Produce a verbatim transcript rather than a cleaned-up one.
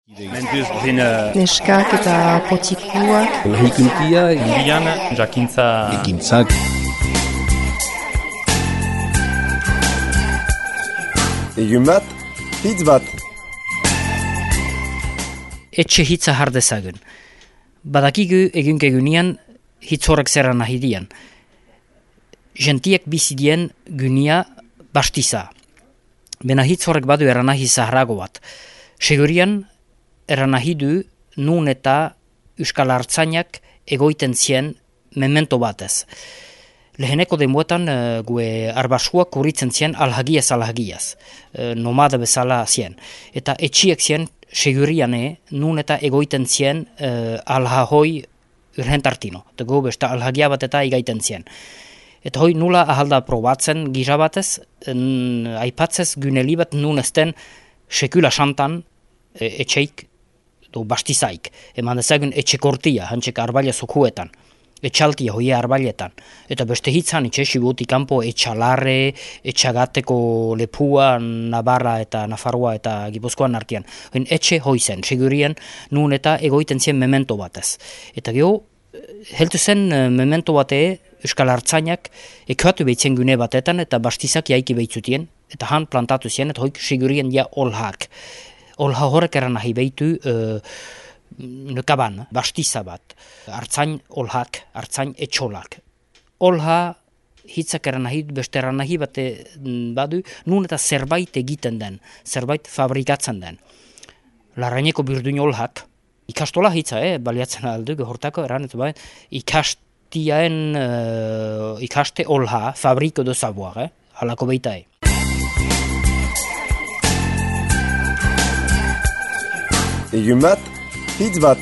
Neskak eta potikuak. Lahikuntia, Indian, jakintza... ekintzak. Egun bat, hitz bat. Etxe hitza hardezagun. Badakigu egun egunean hitz horrek zerra nahi dian. Gentiek bizidien gunia bastiza. Bena hitz horrek badu eranahi zaharago bat. Segurian eranahi du nun eta euskal hartzainak egoiten zien memento batez. Leheneko demuetan uh, gue arbasuak kurritzen zien alhagiaz alhagiaz. Uh, nomada bezala zien. Eta etxiek zien seguriane nun eta egoiten zien uh, alhahoi urhentartino. Eta go besta alhagia bat eta igaiten zien. Eta hoi nula ahalda probatzen gira batez, en, aipatzez guneli bat nun ezten sekula santan e, etxeik do bastizaik. Eman dezagun etxekortia, hantzek arbaila zokuetan. Etxaltia hoi arbailetan. Eta beste hitzan itxe sibuti kanpo etxalarre, etxagateko lepua, Navarra eta Nafarroa eta Gipuzkoan artean. Hoin etxe hoi zen, segurien nun eta egoiten zien memento batez. Eta geho, heltu zen memento bate euskal hartzainak ekoatu behitzen gune batetan eta bastizak jaiki behitzutien. Eta han plantatu zien, eta hoik segurien ja olhak. Olha horrek eran nahi behitu uh, nekaban, bastiza bat. Hartzain olhak, hartzain etxolak. Olha hitzak eran nahi, beste eran nahi bate badu, nun eta zerbait egiten den, zerbait fabrikatzen den. Larraineko birduin olhak, ikastola hitza, eh, baliatzen aldu, gehortako eran, eta bai, ikastiaen, uh, ikaste olha, fabriko do savoir, eh, halako beita, eh. Egun bat, hitz bat.